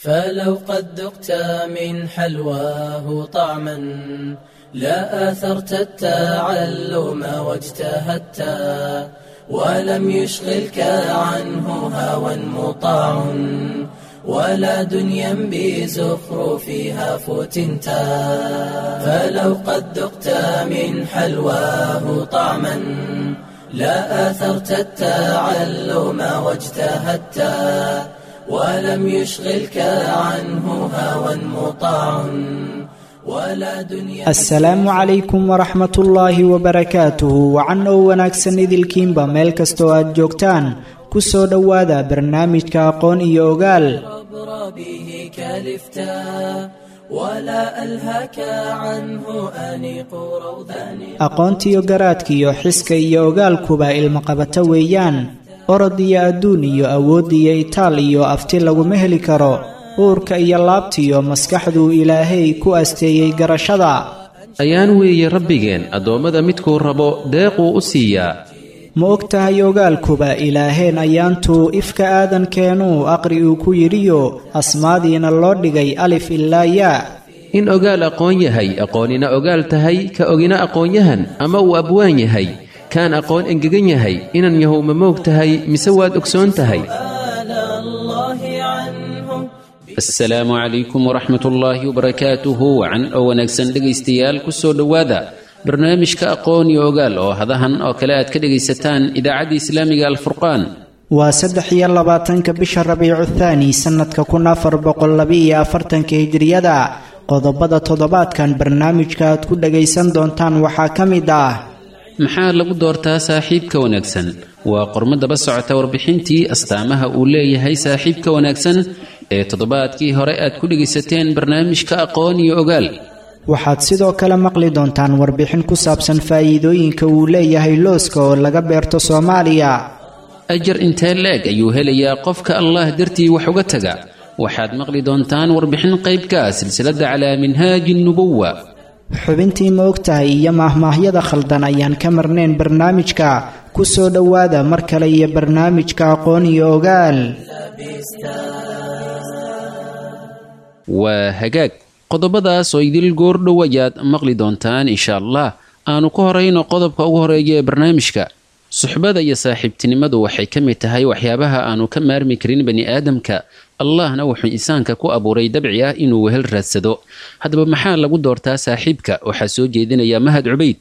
فلو قد ذقت من حلواه طعما لا آثرت التعلم واجتهدت ولم يشغلك عنه هوى مطاع ولا دنيا بزخرفها فتنت فلو قد ذقت من حلواه طعما لا آثرت التعلم واجتهدت ولم يشغلك عنه هوى مطاع ولا دنيا. Asalaamu calaykum waraxmatullaahi wabarakaatuhu. Wacan oo wanaagsan idilkiinba meel kastoo aad joogtaan, ku soo dhowaada barnaamijka aqoon iyo ogaal. به كلفتا ولا ألهك عنه أنيق روضان. Aqoontiyo garaadkiyo xiska iyo ogaalkuba ilmaqabato weeyaan. Orod iyo adduun iyo awood iyo itaal iyo afti laguma heli karo. Uurka iyo laabtiyo maskaxduu Ilaahay ku asteeyey garashada. Ayaan weeye Rabbigeen addoommada midkuu rabo deequu u siiyaa. Ma og tahay ogaalkuba Ilaaheen ayaantuu ifka aadankeenuu aqri uu ku yidhiyo asmaadiina loo dhigay alif ilaa yaa? In ogaal aqoon yahay, aqoonina ogaal tahay, ka ogina aqoonyahan ama uu abwaan yahay, kaan aqoon engegan yahay, inan yahow ma moog tahay mise waad ogsoon tahay? آل الله عنه. Asalaamu calaykum waraxmat ullaahi wabarakaatuhu. Wacan oo wanaagsan dhegaystayaal, ku soo dhowaada barnaamijka aqoon iyo ogaal oo hadahan oo kale aad ka dhegaysataan idaacadda islaamiga Alfurqaan. Waa 23-ka bisha Rabiicu Thaani, sannadka 1442-ka Hijriyada. Qodobada toddobaadkan barnaamijka aad ku dhagaysan doontaan waxaa ka mid ah: Maxaa lagu doortaa saaxiibka wanaagsan? Waa qormo daba socota warbixintii astaamaha uu leeyahay saaxiibka wanaagsan ee toddobaadkii hore aad ku dhegaysateen barnaamijka aqoon iyo ogaal. Waxaad sidoo kale maqli doontaan warbixin ku saabsan faa'iidooyinka uu leeyahay looska oo laga beerto Soomaaliya. Ajar intee leeg ayuu helayaa qofka Allah dartii wax uga taga? Waxaad maqli doontaan warbixin qaybka ah silsiladda Calaa Minhaaji Nubuwa. Xubintii Ma ogtahay iyo maahmaahyada khaldan ayaan ka marnayn barnaamijka. Ku soo dhowaada mar kale iyo barnaamijka aqoon iyo ogaal. Waa hagaag, qodobadaas oo idil goordhow ayaad maqli doontaan insha Allah. Aanu ku horayno qodobka ugu horeeya ee barnaamijka. Suxbada iyo saaxiibtinimadu waxay ka mid tahay waxyaabaha aanu ka maarmi karin bani aadamka. Allahna wuxuu insaanka ku abuuray dabci ah inuu wehel raadsado. Haddaba maxaa lagu doortaa saaxiibka? Waxaa soo jeedinaya Mahad Cubayd.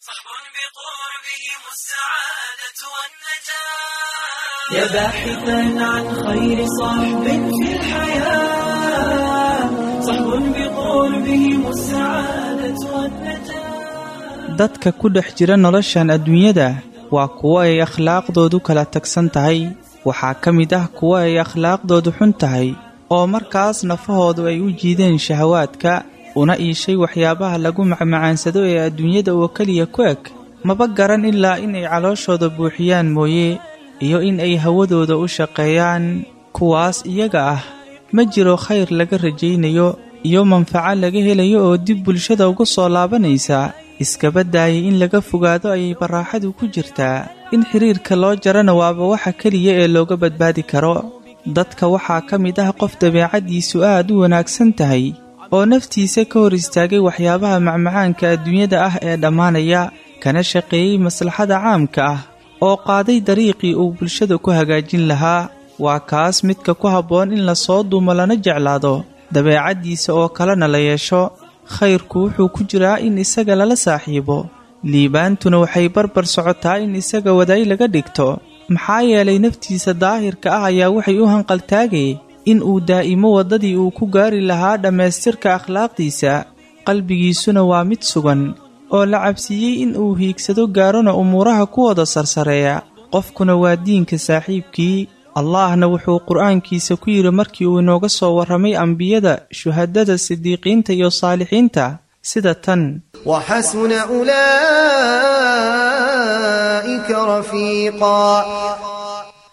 صحب بقربهم السعادة والنجاة. يا باحثا عن خير صحب في الحياة، صحب بقربهم السعادة والنجاة. Dadka ku dhex jira noloshan adduunyada waa kuwo ay akhlaaqdoodu kala tagsan tahay. Waxaa ka mid ah kuwo ay akhlaaqdoodu xun tahay oo markaas nafahoodu ay u jiideen shahawaadka, una iishay waxyaabaha lagu macmacaansado ee adduunyada oo keliya ku eg. Maba garan ilaa in ay calooshooda buuxiyaan mooye iyo in ay hawadooda u shaqeeyaan. Kuwaas iyaga ah ma jiro khayr laga rajaynayo iyo manfaco laga helayo oo dib bulshada uga soo laabanaysa. Iskaba daayay in laga fogaado ayay baraaxadu ku jirtaa, in xiriirka loo jarana waaba waxa keliya ee looga badbaadi karo. Dadka waxaa ka mid ah qof dabeecaddiisu aad u wanaagsan tahay oo naftiisa ka hor istaagay waxyaabaha macmacaanka adduunyada ah ee dhammaanaya, kana shaqeeyey maslaxada caamka ah oo qaaday dariiqii uu bulshada ku hagaajin lahaa. Waa kaas midka ku habboon in lasoo dumo lana jeclaado, dabeecaddiisa oo kalena la yeesho. Khayrku wuxuu ku jiraa in isaga lala saaxiibo, liibaantuna waxay barbar socotaa in isaga wadaay laga dhigto, maxaa yeelay naftiisa daahirka ah ayaa waxay u hanqaltaagay in uu daa'imo waddadii uu ku gaari lahaa dhammaystirka akhlaaqdiisa. Qalbigiisuna waa mid sugan oo la cabsiiyey in uu hiigsado gaarona umuuraha kuwooda sarsareeya. Qofkuna waa diinka saaxiibkii. Allahna wuxuu qur-aankiisa ku yidhi markii uu inooga soo warramay ambiyada, shuhadada, sidiiqiinta iyo saalixiinta sida tan: وحسن أولئك رفيقا.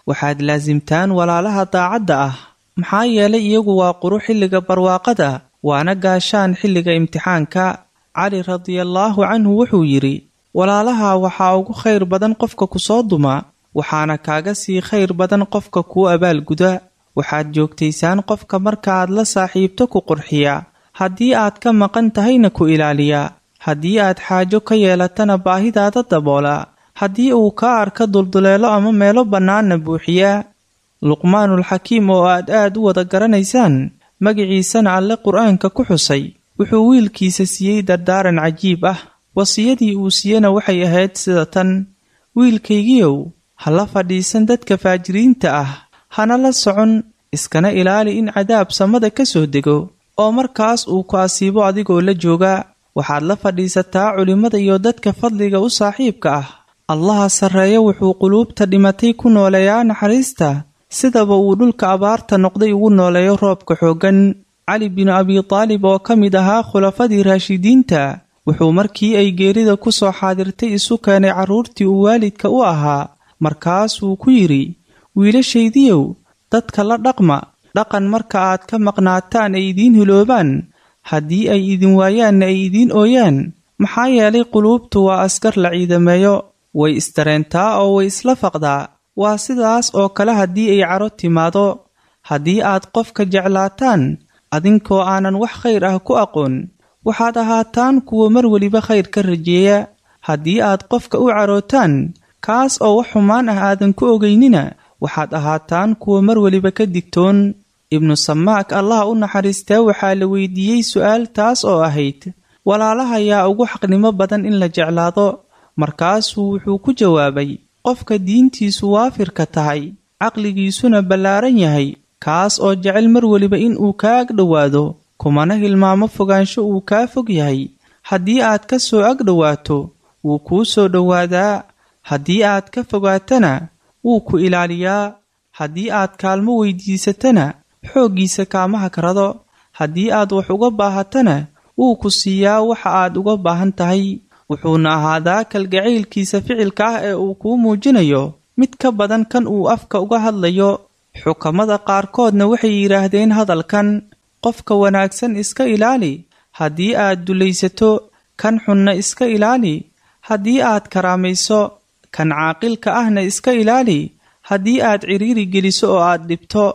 Waxaad laasimtaan walaalaha daacadda ah, maxaa yeelay iyagu waa quru xilliga barwaaqada, waana gaashaan xilliga imtixaanka. Cali radiallaahu canhu wuxuu yidhi: walaalaha waxaa ugu khayr badan qofka ku soo duma, waxaana kaaga sii khayr badan qofka kuu abaalguda. Waxaad joogtaysaan qofka marka aad la saaxiibto ku qurxiya, haddii aad ka maqan tahayna ku ilaaliya, haddii aad xaajo ka yeelatana baahidaada daboola, haddii uu kaa arka dulduleelo ama meelo bannaanna buuxiya. Luqmaanulxakiim oo aad aad u wada garanaysaan, magiciisana Alle Qur-aanka ku xusay, wuxuu wiilkiisa siiyey dardaaran cajiib ah. Wasiyadii uu siiyena waxay ahayd sida tan: Wiilkaygiyow, ha la fadhiisan dadka faajiriinta ah, hana la socon, iskana ilaali in cadaab samada ka soo dego oo markaas uu ku asiibo adigoo la jooga. Waxaad la fadhiisataa culimmada iyo dadka fadliga u saaxiibka ah. Allaha sarreeya wuxuu quluubta dhimatay ku nooleeyaa naxariista, sidaba uu dhulka abaarta noqday ugu nooleeyo roobka xooggan. Cali binu Abi Taalib oo ka mid ahaa khulafadii raashidiinta, wuxuu markii ay geerida ku soo xaadirtay isu keenay carruurtii uu waalidka u ahaa. Markaasuu ku yidhi: Wiilashaydiyow, dadka la dhaqma dhaqan marka aad ka maqnaataan ay idiin hiloobaan, haddii ay idin waayaanna ay idiin ooyaan. Maxaa yeelay, quluubtu waa askar la ciidameeyo, way isdareentaa oo way isla faqdaa. Waa sidaas oo kale haddii ay caro timaado. Haddii aad qofka jeclaataan adinkoo aanan wax khayr ah ku aqoon, waxaad ahaataan kuwa mar weliba khayr ka rajeeya. Haddii aad qofka u carootaan kaas oo wax xumaan ah aadan ku ogeynina, waxaad ahaataan kuwa mar weliba ka digtoon. Ibnu Samaak, Allah u naxariistee, waxaa la weydiiyey su'aal taas oo ahayd: Walaalaha yaa ugu xaqnimo badan in la jeclaado? Markaasuu wuxuu ku jawaabay: Qofka diintiisu waafirka tahay, caqligiisuna ballaaran yahay, kaas oo jecel mar weliba in uu kaa ag dhowaado, kumana hilmaamo fogaansho uu kaa fog yahay. Haddii aad ka soo ag dhowaato, wuu kuu soo dhowaadaa; haddii aad ka fogaatana, wuu ku ilaaliyaa; haddii aad kaalmo weydiisatana, xooggiisa kaama hagrado; haddii aad wax uga baahatana, wuu ku siiyaa waxa aad uga baahan tahay. Wuxuuna ahaadaa kalgacaylkiisa ficilka ah ee uu kuu muujinayo mid ka badan kan uu afka uga hadlayo. Xukamada qaarkoodna waxay yidhaahdeen hadalkan: Qofka wanaagsan iska ilaali haddii aad dulaysato, kan xunna iska ilaali haddii aad karaamayso, kan caaqilka ahna iska ilaali haddii aad ciriiri geliso oo aad dhibto,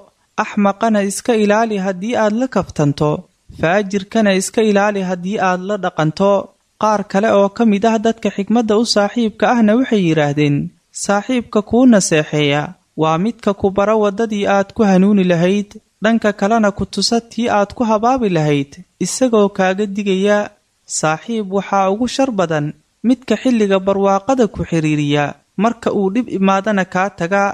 axmaqana iska ilaali haddii aad la kaftanto, faajirkana iska ilaali haddii aad la dhaqanto. Qaar kale oo ka mid ah dadka xikmadda u saaxiibka ahna waxay yidhaahdeen: Saaxiibka kuu naseexeeya waa midka ku bara waddadii aad ku hanuuni lahayd, dhanka kalena ku tusa tii aad ku habaabi lahayd, isagoo kaaga digaya. Saaxiib waxaa ugu shar badan midka xilliga barwaaqada ku xiriiriya, marka uu dhib imaadana kaa taga.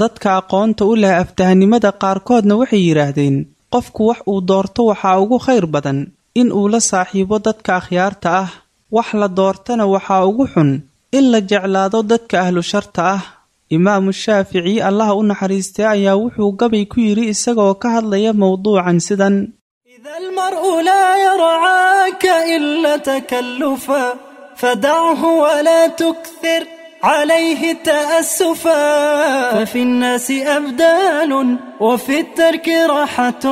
Dadka aqoonta u leh aftahanimada qaarkoodna waxay yidhaahdeen: Qofku wax uu doorto waxaa ugu khayr badan in uu la saaxiibo dadka akhyaarta ah, wax la doortana waxaa ugu xun in la jeclaado dadka ahlu sharta ah. Imaamu Shaafici, Allah u naxariistay, ayaa wuxuu gabay ku yidhi isagoo ka hadlaya mowduucan sidan: إذا المرء لا يرعاك إلا تكلفا، فدعه ولا تكثر عليه تأسفا. ففي الناس أبدال، وفي الترك راحة،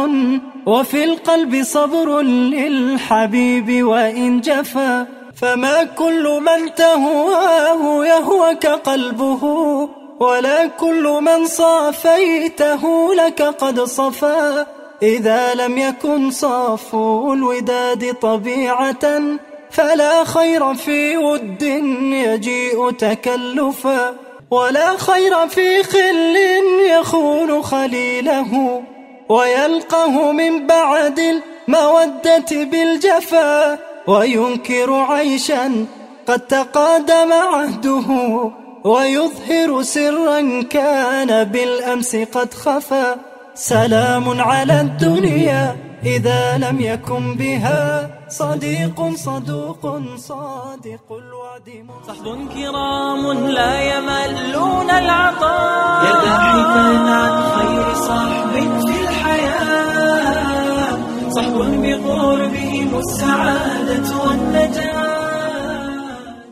وفي القلب صبر للحبيب وإن جفا. فما كل من تهواه يهوك قلبه، ولا كل من صافيته لك قد صفا. إذا لم يكن صافو الوداد طبيعة، فلا خير في ود يجيء تكلفا، ولا خير في خل يخون خليله ويلقه من بعد المودة بالجفا، وينكر عيشا قد تقادم عهده، ويظهر سرا كان بالأمس قد خفا. سلام على الدنيا إذا لم يكن بها صديق صدوق صادق الوعد. صحب كرام لا يملون العطاء. يا باحثا عن خير صحب في الحياة، صحب بقربهم السعادة والنجاة.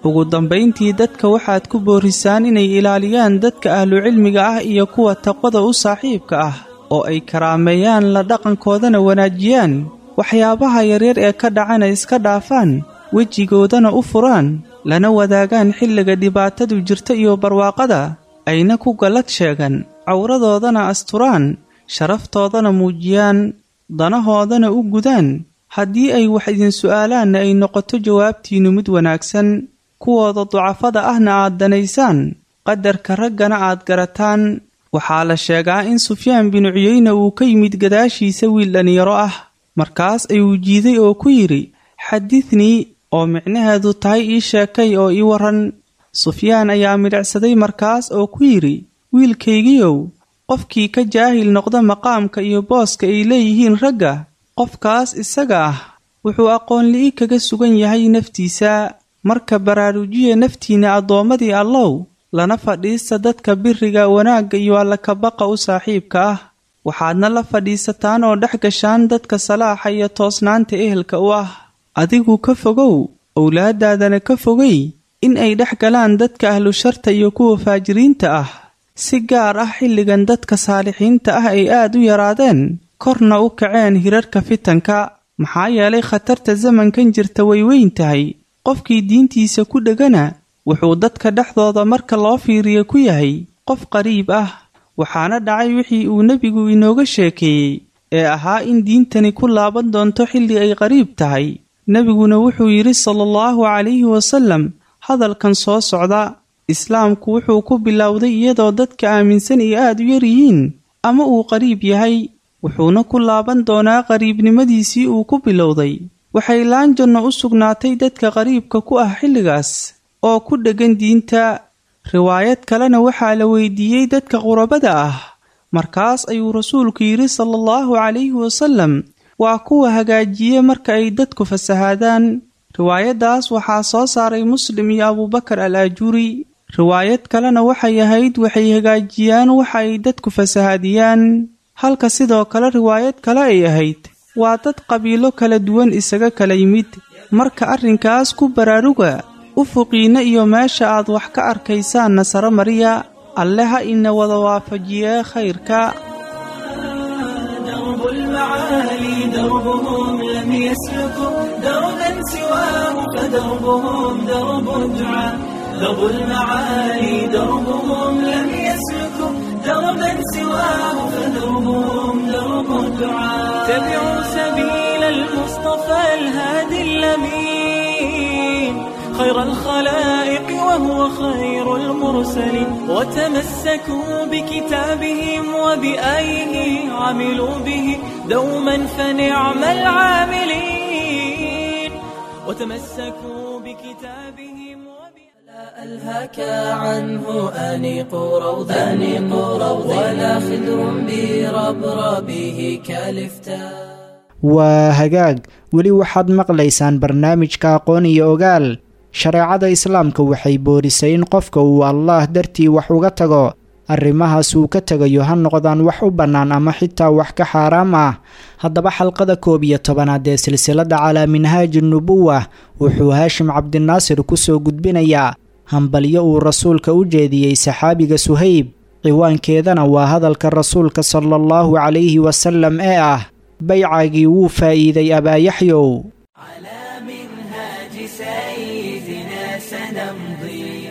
Ugu dambayntii, dadka waxaad ku boorisaan inay ilaaliyaan dadka ahlucilmiga ah iyo kuwa taqwada u saaxiibka ah, oo ay karaameeyaan, la dhaqankoodana wanaajiyaan, waxyaabaha yaryar ee ka dhacana iska dhaafaan, wejigoodana u furaan, lana wadaagaan xilliga dhibaatadu jirta iyo barwaaqada, ayna ku gallad sheegan, cawradoodana asturaan, Sharaftoodana muujiyaan, danahoodana u gudaan. Haddii ay wax idin su'aalaanna ay noqoto jawaabtiinnu mid wanaagsan, kuwooda ducafada ahna aad danaysaan, qadarka raggana aad garataan. Waxaa la sheegaa in Sufyaan binu Cuyeyne uu ka yimid gadaashiisa wiil dhallinyaro ah. Markaas ayuu jiiday oo ku yidhi: "Xadidnii," oo micnaheedu tahay "ii sheekay oo ii waran." Sufyaan ayaa midhicsaday markaas oo ku yidhi: "Wiilkaygiiow, qofkii ka jaahil noqda maqaamka iyo booska ay leeyihiin ragga, qofkaas isaga ah wuxuu aqoon-li'i kaga sugan yahay naftiisa. Marka baraarujiya naftiinna, addoommadii Allow, lana fadhiista dadka biriga, wanaagga iyo Allakabaqa u saaxiibka ah. Waxaadna la fadhiisataan oo dhex gashaan dadka salaaxa iyo toosnaanta ehelka u ah. Adigu ka fogow, owlaadaadana ka fogay in ay dhex galaan dadka ahlu sharta iyo kuwa faajiriinta ah, si gaar ah xilligan dadka saalixiinta ah ay aad u yaraadeen, korna u kaceen hirarka fitanka. Maxaa yeelay khatarta zamankan jirta way weyn tahay. Qofkii diintiisa ku dhegana wuxuu dadka dhexdooda marka loo fiiriyo ku yahay qof qariib ah. Waxaana dhacay wixii uu nebigu inooga sheekeeyey ee ahaa in diintani ku laaban doonto xilli ay qariib tahay. Nebiguna wuxuu yidhi sala allahu calayhi wasalam hadalkan soo socda: Islaamku wuxuu ku bilowday iyadoo dadka aaminsan ay aad u yar yihiin ama uu qariib yahay, wuxuuna ku laaban doonaa qariibnimadiisii uu ku bilowday. Waxay laanjanno u sugnaatay dadka qariibka ku ah xilligaas oo ku dheggan diinta." Riwaayad kalena waxaa la weydiiyey dadka qurabada ah. Markaas ayuu rasuulku yidhi sala allahu calayhi wasalam: "Waa kuwa hagaajiye marka ay dadku fasahaadaan." Riwaayaddaas waxaa soo saaray Muslim iyo Abuubakar al Aajuuri. Riwaayad kalena waxay ahayd: "Waxay hagaajiyaan waxa ay dadku fasahaadiyaan." Halka sidoo kale riwaayad kale ay ahayd: "Waa dad qabiilo kala duwan isaga kala yimid." Marka arrinkaas ku baraaruga, ufuqiinna iyo meesha aad wax ka arkaysaanna sare mariya. Alle ha ina wada waafajiyee khayrka. درب المعالي دربهم لم يسلكوا دربا سواه فدربهم درب الدعاء. درب المعالي دربهم لم يسلكوا دربا سواه فدربهم درب الدعاء. تبعوا سبيل المصطفى الهادي الأمين، خير الخلائق وهو خير المرسلين، وتمسكوا بكتابهم وبآيه، عملوا به دوما فنعم العاملين، وتمسكوا بكتابهم وبآيه. لا ألهاك عنه أنيق روض، أنيق روض، ولا خدر بربربه كالفتاء. Waa hagaag, weli waxaad maqlaysaan barnaamijka Aqoon iyo Ogaal. Shareecada Islaamka waxay boorisay in qofka uu Allaah dartii wax uga tago. Arrimahaas uu ka tegayo ha noqdaan wax u bannaan ama xitaa wax ka xaaraam ah. Haddaba xalqada 11aad ee silsiladda Calaa Minhaaji Nubuwa wuxuu Haashim Cabdinaasir kusoo gudbinayaa hambalyo uu rasuulka u jeediyey saxaabiga Suhayb, ciwaankeedana waa hadalka rasuulka sala allahu calayhi wasalam ee ah: "Baycaagii wuu faa'iiday, Abaayaxyow." على منهاج سيدنا سنمضي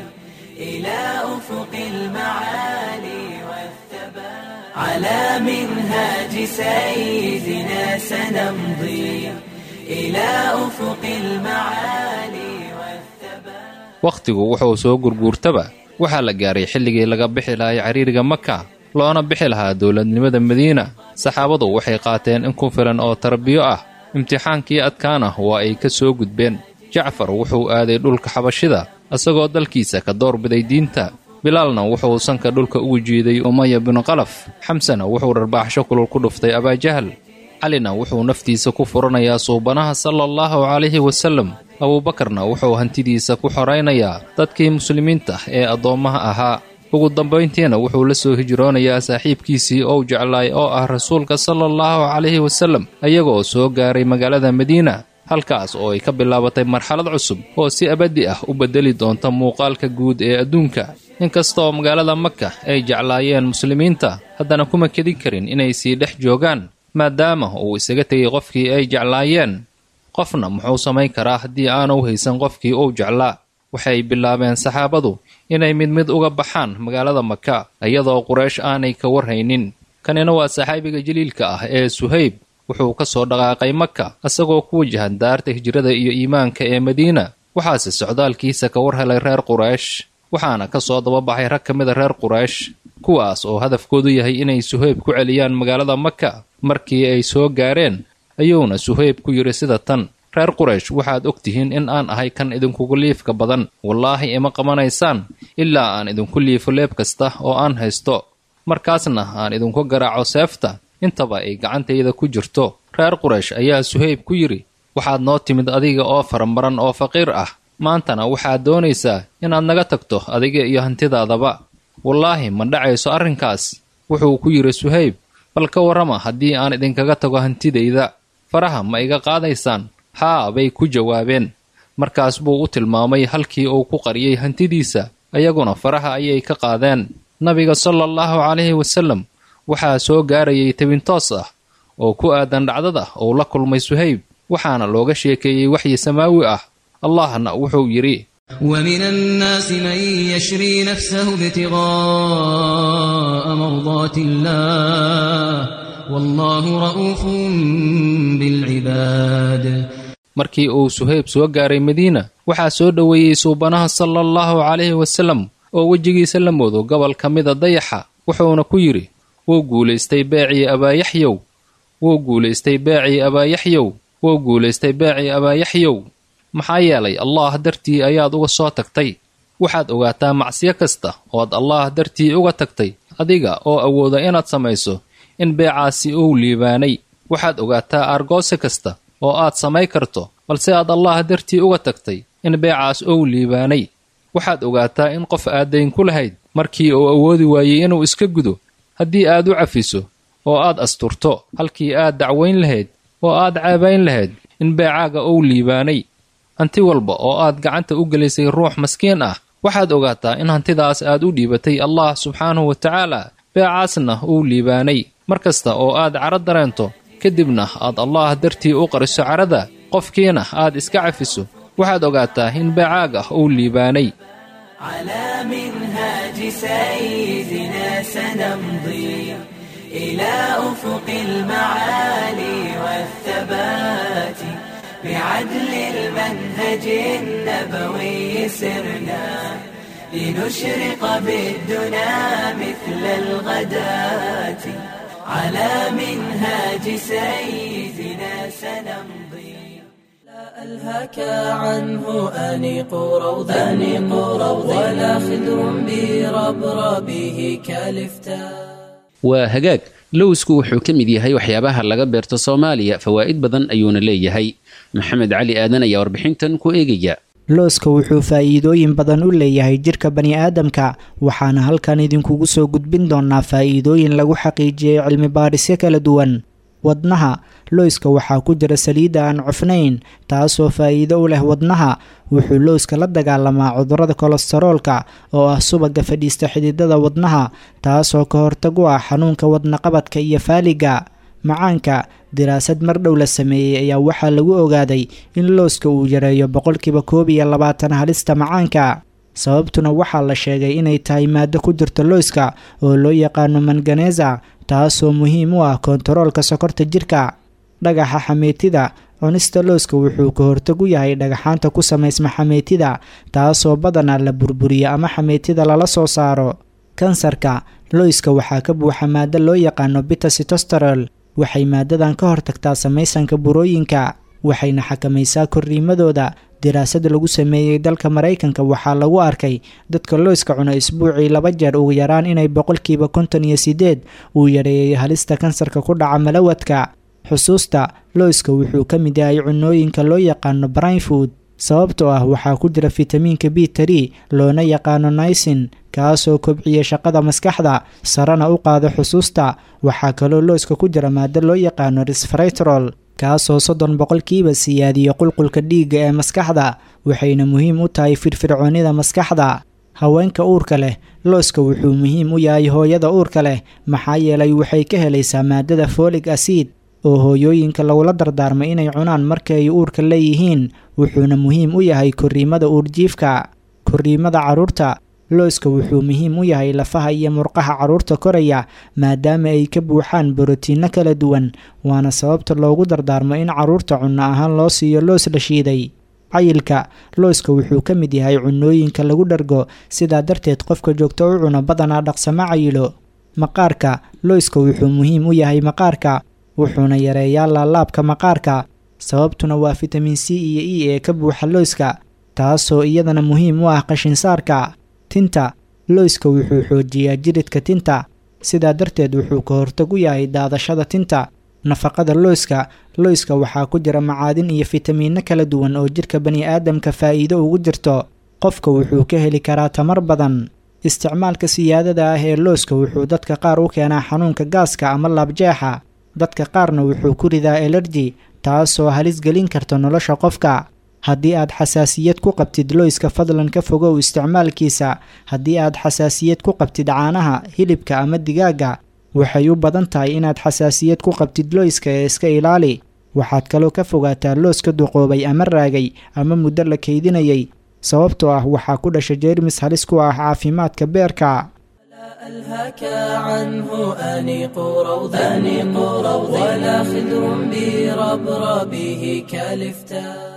إلى أفق المعالي والثبات. على منهاج سيدنا سنمضي إلى أفق المعالي والثبات. Wakhtigu wuxuu soo gurguurtaba waxaa la gaaray xilligii laga bixi lahay cariiriga Maka, loona bixi lahaa dowladnimada Madiina. Saxaabadu waxay qaateen in ku filan oo tarbiyo ah, imtixaankii adkaana waa ay ka soo gudbeen. Jacfar wuxuu aaday dhulka Xabashida isagoo dalkiisa ka doorbiday diinta. Bilaalna wuxuu sanka dhulka ugu jiiday Umaya binu Qalaf. Xamsena wuxuu dharbaaxsho kulul ku dhuftay Abaajahal. Calina wuxuu naftiisa ku furanayaa suubanaha sala allahu calayhi wasallam. Abuubakarna wuxuu hantidiisa ku xoraynayaa dadkii muslimiinta ee addoommaha ahaa. Ugu dambayntiina wuxuu la soo hijroonayaa saaxiibkiisii ou jeclaay oo ah rasuulka sala allahu calayhi wasallam, ayagoo soo gaaray magaalada Madiina, halkaas oo ay ka bilaabatay marxalad cusub oo si abadi ah u beddeli doonta muuqaalka guud ee adduunka. Inkastoo magaalada Maka ay jeclaayeen muslimiinta, haddana kuma kedin karin inay sii dhex joogaan, maadaama uu isaga tegey qofkii ay jeclaayeen. Qofna muxuu samayn karaa haddii aanu haysan qofkii uu jeclaa? Waxay bilaabeen saxaabadu inay mid mid uga baxaan magaalada Maka, iyadoo Quraysh aanay ka warhaynin. Kanina waa saxaabiga jaliilka ah ee Suhayb. Wuxuu ka soo dhaqaaqay Maka isagoo ku wajahan daarta hijrada iyo iimaanka ee Madiina. Waxaase socdaalkiisa ka war helay reer Quraysh, waxaana ka soo dababaxay rag ka mida reer Quraysh, kuwaas oo hadafkoodu yahay inay Suhayb ku celiyaan magaalada Maka. Markii ay soo gaareen ayuuna Suhayb ku yidhi sida tan: reer Quraysh, waxaad og tihiin in aan ahay kan idinkugu liifka badan. Wallaahi ima qabanaysaan ilaa aan idinku liifo leeb kasta oo aan haysto, markaasna aan idinku garaaco seefta intaba ay gacantayda ku jirto. Reer Quraysh ayaa Suhayb ku yidhi: waxaad noo timid adiga oo faramaran oo faqiir ah, maantana waxaad doonaysaa inaad naga tagto adiga iyo hantidaadaba. Wallaahi ma dhacayso arrinkaas. Wuxuu ku yidhi Suhayb: bal ka warrama haddii aan idinkaga tago hantidayda, faraha ma iga qaadaysaan? Haa, bay ku jawaabeen. Markaas buu u tilmaamay halkii uu ku qariyey hantidiisa, ayaguna faraha ayay ka qaadeen. Nabiga sala allahu calayhi wasallam waxaa soo gaarayay tabin toos ah oo ku aadan dhacdada uu la kulmay Suhayb, waxaana looga sheekeeyey waxyi samaawi ah. Allahna wuxuu yidhi: ومن الناس من يشري نفسه ابتغاء مرضات الله والله رؤوف بالعباد. Markii uu Suhayb soo gaaray Madiina, waxaa soo dhoweeyey suubanaha sala allahu calayhi wasallam oo wejigiisa la moodo gobol ka mida dayaxa, wuxuuna ku yidhi: wuu guulaystay beecii Abaayaxyow, wuu guulaystay beecii Abaayaxyow, wuu guulaystay beecii Abaayaxyow. Maxaa yeelay Allaah dartii ayaad uga soo tagtay. Waxaad ogaataa macsiyo kasta ood Allaah dartii uga tagtay adiga oo awooda inaad samayso in beecaasi uu liibaanay. Waxaad ogaataa aargoose kasta oo aad samay karto balse aad Allaah dartii uga tagtay in beecaas uu liibaanay. Waxaad ogaataa in qof aad dayn ku lahayd markii uu awoodi waayey inuu iska gudo, haddii aad u cafiso oo aad asturto halkii aad dacwayn lahayd oo aad caabayn lahayd, in beecaaga uu liibaanay. Hanti walba oo aad gacanta u gelisay ruux maskiin ah, waxaad ogaataa in hantidaas aad u dhiibatay Allah subxaanahu wa tacaala, beecaasna uu liibaanay. Mar kasta oo aad caro dareento, kadibna aad Allaah dartii u qariso carada, qofkiina aad iska cafiso, waxaad ogaataa in beecaaga uu liibaanay. على منهاج سيدنا سنمضي إلى أفق المعالي والثبات، بعدل المنهج النبوي سرنا لنشرق بالدنا مثل الغداة. على منهاج سيدنا سنمضي. لا ألهك عنه أنيق روض، أنيق روض، ولا خدر بربربه كالفتاء. Waa hagaag. Lowsku wuxuu ka mid yahay waxyaabaha laga beerto Soomaaliya, fawaa'id badan ayuuna leeyahay. Maxamed Cali Aadan ayaa warbixintan ku eegaya. Looska wuxuu faa'iidooyin badan u leeyahay jirka bani'aadamka, waxaana halkan idinkugu soo gudbin doonaa faa'iidooyin lagu xaqiijiyey cilmi baadhisyo kala duwan. Wadnaha, looska waxaa ku jira saliidda aan cufnayn, taasoo faa'iido u leh wadnaha. Wuxuu looska la dagaalamaa cudurrada kolestaroolka oo ah subagga fadhiista xididada wadnaha, taasoo ka hortag u ah xanuunka wadnaqabadka iyo faaliga. Macaanka, diraasad mar dhow la sameeyey ayaa waxaa lagu ogaaday in looska uu yareeyo 21% halista macaanka. Sababtuna waxaa la sheegay inay tahay maado ku jirta looska oo loo yaqaano manganeza, taasoo muhiim u ah kontaroolka sokorta jirka. Dhagaxa xameetida, cunista looska wuxuu ka hortag u yahay dhagaxaanta ku samaysma xameetida, taasoo badanaa la burburiyo ama xameetida lala soo saaro. Kansarka, looska waxaa ka buuxa maado loo yaqaano beta-sitosterol. Waxay maadadan ka hortagtaa samaysanka burooyinka, waxayna xakamaysaa korriimadooda. Diraasad lagu sameeyey dalka Maraykanka waxaa lagu arkay dadka looska cuna isbuucii 2 jeer ugu yaraan inay 58% uu yareeyey halista kansarka ku dhaca malawadka. Xusuusta, looska wuxuu ka mid yahay cunooyinka loo yaqaano brain food, sababtoo ah waxaa ku jira fitamiinka B3 loona yaqaano niacin, kaasoo kobciya shaqada maskaxda, sarena u qaada xusuusta. Waxaa kaloo looska ku jira maado loo yaqaano resveratrol, kaasoo 30% siyaadiya qulqulka dhiigga ee maskaxda, waxayna muhiim u tahay firfircoonida maskaxda. Haweenka uurka leh, looska wuxuu muhiim u yahay hooyada uurka leh, maxaa yeelay waxay ka helaysaa maadada folic acid oo hooyooyinka lagula dardaarmay inay cunaan marka ay uurka leeyihiin, wuxuuna muhiim u yahay korriimada uurjiifka. Korriimada carruurta, Looska wuxuu muhiim u yahay lafaha iyo murqaha carruurta koraya, maadaama ay ka buuxaan borotiinno kala duwan, waana sababta loogu dardaarmo in carruurta cunno ahaan loo siiyo loos la shiiday. Cayilka. Looska wuxuu ka mid yahay cunooyinka lagu dhargo, sidaa darteed qofka joogto u cuno badanaa dhaqsama cayilo. Maqaarka. Looska wuxuu muhiim u yahay maqaarka, wuxuuna yareeyaa laalaabka maqaarka, sababtuna waa fitamiin C iyo E ee ka buuxa looska, taasoo iyadana muhiim u ah qashinsaarka. Tinta. Looska wuxuu xoojiyaa jiridka tinta, sidaa darteed wuxuu ka hortag u yahay daadashada tinta. Nafaqada looska. Looska waxaa ku jira macaadin iyo fitamiinno kala duwan oo jirka bani'aadamka faa'iido ugu jirto. Qofka wuxuu ka heli karaa tamar badan. Isticmaalka siyaadada ah ee looska wuxuu dadka qaar u keenaa xanuunka gaaska ama laabjeexa, dadka qaarna wuxuu ku ridaa elerji, taasoo halis gelin karta nolosha qofka. Haddii aad xasaasiyad ku qabtid looyska, fadlan ka fogow isticmaalkiisa. Haddii aad xasaasiyad ku qabtid caanaha, hilibka ama digaagga, waxay u badan tahay inaad xasaasiyad ku qabtid looyska ee iska ilaali. Waxaad kaloo ka fogaataa looska duqoobay ama raagay ama muddo la kaydinayay, sababtoo ah waxaa ku dhasha jeermis halis ku ah caafimaadka beerka. ألهاك عنه أنيق روض أنيق روض ولا خدر بربربه كالفتاء.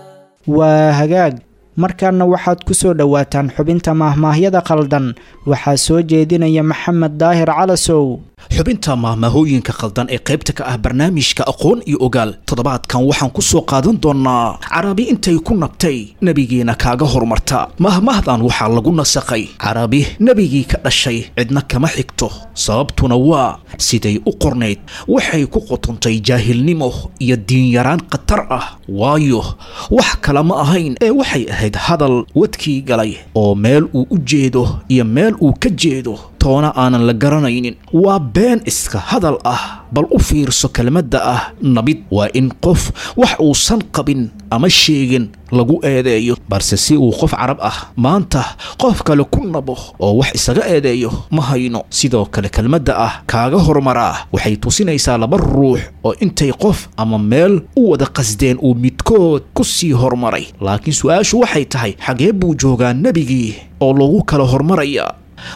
Waa hagaag, markaana waxaad ku soo dhowaataan xubinta maahmaahyada khaldan. Waxaa soo jeedinaya Maxamed Daahir Calasow. Xubinta maahmaahooyinka khaldan ee qaybta ka ah barnaamijka Aqoon iyo Ogaal toddobaadkan waxaan ku soo qaadan doonnaa carabi intay ku nabtay nebigiina kaaga horumarta. Mahmahdan waxaa lagu nasakhay carabi nebigii ka dhashay cidna kama xigto, sababtuna waa siday u qornayd waxay ku qotontay jaahilnimo iyo diinyaraan khatar ah, waayo wax kale ma ahayn ee waxay ahayd hadal wadkii galay oo meel uu u jeedo iyo meel uu ka jeedo toona aanan la garanaynin. Waa been iska hadal ah. Bal u fiirso kelmadda ah nabid, waa in qof wax uusan qabin ama sheegin lagu eedeeyo, balse si uu qof carab ah maanta qof kale ku nabo oo wax isaga eedeeyo ma hayno. Sidoo kale kelmadda ah kaaga horumaraa waxay tusinaysaa laba ruux oo intay qof ama meel u wada qasdeen uu midkood ku sii horumaray, laakiin su-aashu waxay tahay xagee buu joogaa nebigii oo loogu kala hormaraya?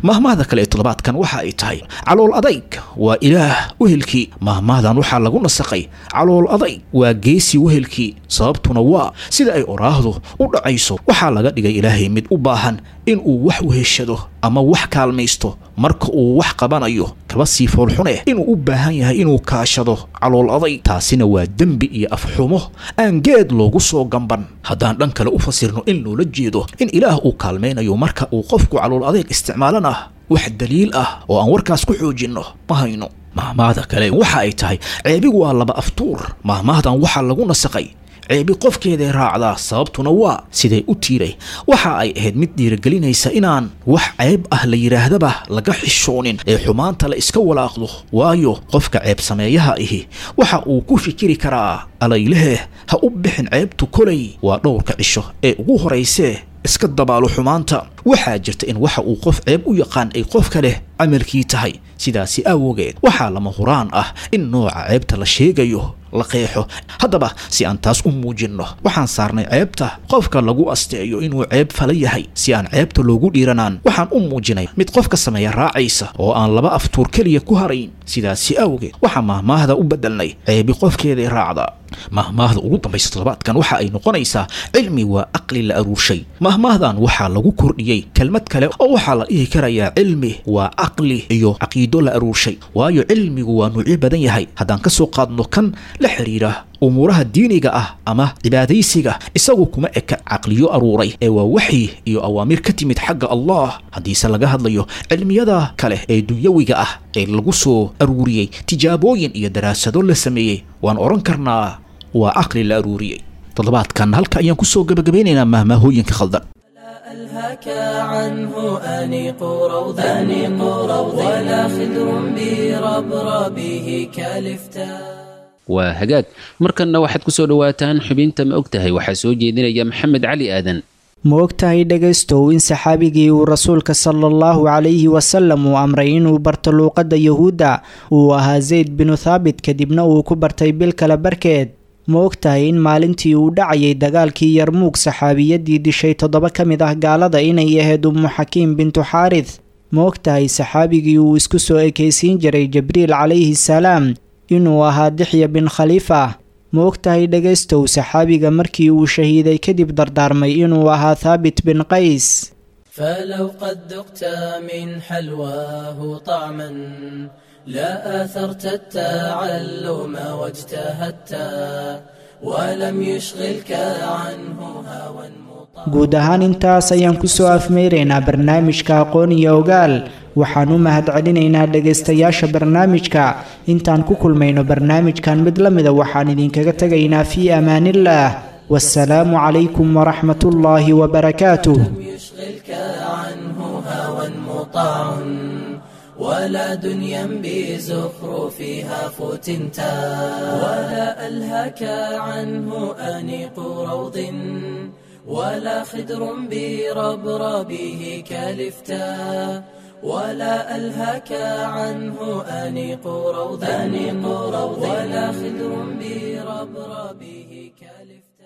Mahmahda kale ee toddobaadkan waxa ay tahay calool adayg waa ilaah wehelkii. Mahmahdan waxaa lagu nasakhay calool adayg waa geesi wehelkii, sababtuna waa sida ay oraahdu u dhacayso waxaa laga dhigay ilaahay mid u baahan inuu wax weheshado ama wax kaalmaysto marka uu wax qabanayo, kaba sii foolxune inuu u baahan yahay inuu kaashado calool adayg. Taasina waa dembi iyo afxumo aan geed loogu soo gamban. Haddaan dhan kale u fasirno in loola jeedo in ilaah uu kaalmaynayo marka uu qofku calool adayg isticmaalana, wax daliil ah oo aan warkaas ku xoojinno ma hayno. Mahmaahda kale waxa ay tahay ceebi waa laba aftuur. Mahmaahdan waxaa lagu nasakhay ceebi qofkeeday raacdaa, sababtuna waa siday u tiiray waxa ay ahayd mid dhiirigelinaysa inaan wax ceeb ah la yidhaahdaba laga xishoonin ee xumaanta la iska walaaqdo, waayo qofka ceeb sameeyaha ahi waxa uu ku fikiri karaa alaylehe ha u bixin ceebtu kolay waa dhowrka cisho ee ugu horaysee iska dabaalo xumaanta. Waxaa jirta in waxa uu qof ceeb u yaqaan ay qof kale camalkii tahay, sidaasi awgeed waxaa lama huraan ah in nooca ceebta la sheegayo la qeexo. Haddaba si aan taas u muujinno waxaan saarnay ceebta qofka lagu asteeyo inuu ceeb fala yahay, si aan ceebta loogu dhiiranaan waxaan u muujinay mid qofka sameeya raacaysa oo aan laba aftuur keliya ku harayn. Sidaasi awgeed waxaa mahmaahda u bedelnay ceebi qofkeeday raacda. Mahmaahda ugu dambaysa toddobaadkan waxa ay noqonaysaa cilmi waa aqli la aruurshay. Mahmaahdan waxaa lagu kordhiyey kelmad kale oo waxaa la dhihi karayaa cilmi waa caqli iyo caqiido la aruurshay, waayo cilmigu waa nuucyo badan yahay. Haddaan ka soo qaadno kan la xiriira umuuraha diiniga ah ama cibaadaysiga, isagu kuma eka caqliyo aruuray ee waa waxyi iyo awaamir ka timid xagga Allah. Haddiise laga hadlayo cilmiyada kale ee dunyawiga ah ee lagu soo aruuriyey tijaabooyin iyo daraasado la sameeyey, waan odhan karnaa waa caqli la aruuriyey. Toddobaadkan halka ayaan kusoo gabagabeynaynaa mahmaahooyinka khaldan. ألهاك عنه أنيق روض أنيق روض ولا خدر بربربه كالفتاء. Waa hagaag, markanna waxaad ku soo dhowaataan xubinta ma og tahay. Waxaa soo jeedinaya Maxamed Cali Aadan. Ma og tahay dhegaystow in saxaabigii uu rasuulka sala allahu calayhi wasalam uu amray inuu barto luuqadda yuhuudda uu ahaa Zayd binu Thaabit, kadibna uu ku bartay bil kale barkeed? Ma og tahay in maalintii uu dhacayay dagaalkii Yarmuug saxaabiyadii dishay 7 ka mid ah gaalada inay ahayd Ummu Xakiim bintu Xaarith? Ma og tahay saxaabigii uu isku soo ekaysiin jiray Jibriil calayhi salaam inuu ahaa Dixya bin Khaliifa? Ma og tahay dhegaystow saxaabiga markii uu shahiiday kadib dardaarmay inuu ahaa Thaabit bin Qays? فلو قد ذقت من حلواه طعما لا آثرت التعلم واجتهدت ولم يشغلك عنه هوى. Guud ahaan intaas ayaan kusoo afmeyraynaa barnaamijka Aqoon iyo Ogaal. Waxaan u mahadcelinaynaa dhegaystayaasha barnaamijka. Intaan ku kulmayno barnaamijkan mid la mida, waxaan idinkaga tegaynaa fii amaanillaah. Wasalaamu calaykum waraxmatullaahi wabarakaatuh. يشغلك عنه هوى مطاع ولا دنيا بزخرفها فتنتا ولا ألهك عنه أنيق روض ولا خدر بربربه كالفتا ولا ألهك عنه أنيق روض ولا خدر بربربه كالفتا.